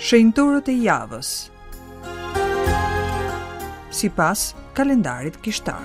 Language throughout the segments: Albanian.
Shenjtorët e javës. Sipas kalendarit kishtar.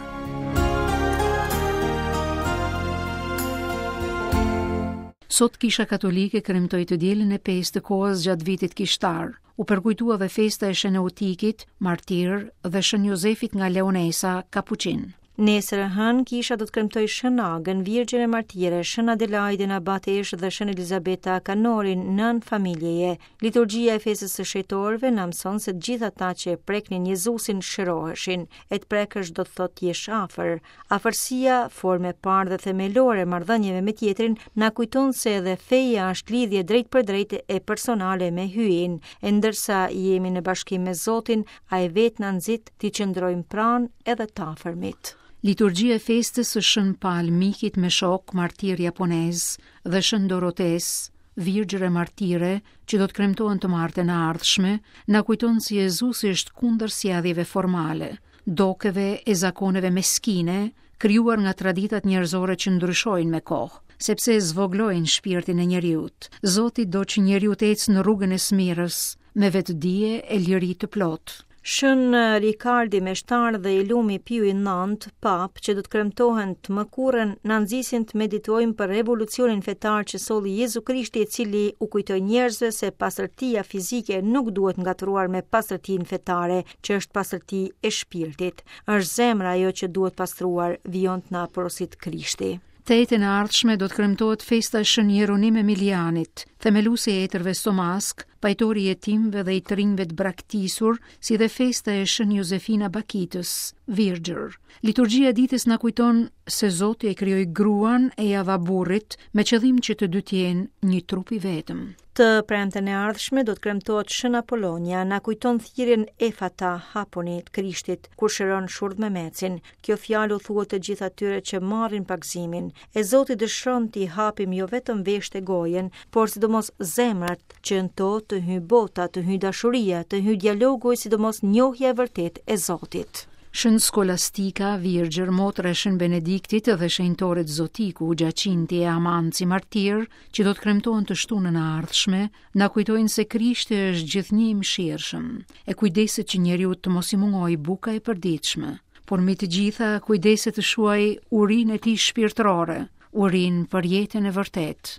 Sot Kisha Katolike kremtoi të dielën e pestë të kohës gjatë vitit kishtar. U përkujtua dhe festa e Shën Eutikit, martir, dhe Shën Jozefit nga Leonesa, kapuçin. Nesër e hënë, kisha do të kremtojë Shën Agën, Virgjën e Martire, Shën Adelaidën Abateshë dhe Shën Elizabeta Kanorin, nënë familjeje. Liturgjia e festës së shenjtorëve na mëson se të gjithë ata që e preknin Jezusin shëroheshin. E të prekësh do të thotë të jesh afër. Afërsia, formë e parë dhe themelore e marrëdhënieve me tjetrin, na kujton se edhe feja është lidhje drejtpërdrejtë e personale me Hyjin. E ndërsa jemi në bashkim me Zotin, ai vetë na nxit t'i qëndrojmë pranë edhe të afërmit. Liturgjia e festës së Shën Pal Mikit me shokë, martir japonez, dhe Shën Dorotesë, virgjër e martire, që do të kremtohen të martën e ardhshme, na kujton se Jezusi është kundër sjelljeve formale, dokeve e zakoneve meskine, krijuar nga traditat njerëzore që ndryshojnë me kohë, sepse e zvoglojnë shpirtin e njeriut. Zoti do që njeriu të ecë në rrugën e së mirës, me vetëdije e liri të plotë. Shën Rikardi meshtar dhe i lumi Piu i Nëntë, papë, që do të kremtohen të mërkurën, na nxisin të meditojmë për revolucionin fetar që solli Jezu Krishti i cili u kujtoi njerëzve se pastërtia fizike nuk duhet ngatërruar me pastërtinë fetare, që është pastërti e shpirtit. Është zemra ajo që duhet pastruar, vijon të na porositë Krishti. Të enjten e ardhshme do të kremtohet festa e Shën Jeronim Emilianit, themeluesi i etërve Somaskë, pajtori i jetimëve dhe i të rinjve të braktisur, si dhe festa e Shën Jozefina Bakitës, Virgjër. Liturgjia e ditës na kujton se Zoti e krijoi gruan e ia dha burrit me qëllim që të dy të jenë një trup i vetëm. Të premten e ardhshme do të kremtohet Shën Apollonia, na kujton thirrjen Efata, hapuni të Krishtit, kur shëron shurdhmemecin. Kjo fjalë u thuhet të gjithë atyre që marrin pagëzimin. E Zoti dëshiron t'i hapim jo vetëm veshët e gojën, por sidomos zemrat, që në to të hyjë bota, të hyjë dashuria, të hyjë dialogu e sidomos njohja e vërtetë e Zotit. Shën Skolastika, Virgjër, motra e Shën Benediktit dhe shenjtorët Zotiku, Gjacinti e Amanci martirë, që do të kremtohen të shtunën e ardhshme, na kujtojnë se Krishti është gjithnjë i mëshirshëm, e kujdeset që njeriut të mos i mungojë buka e përditshme, por mbi të gjitha kujdeset të shuajë urinë e tij shpirtërore, urinë për jetën e vërtetë.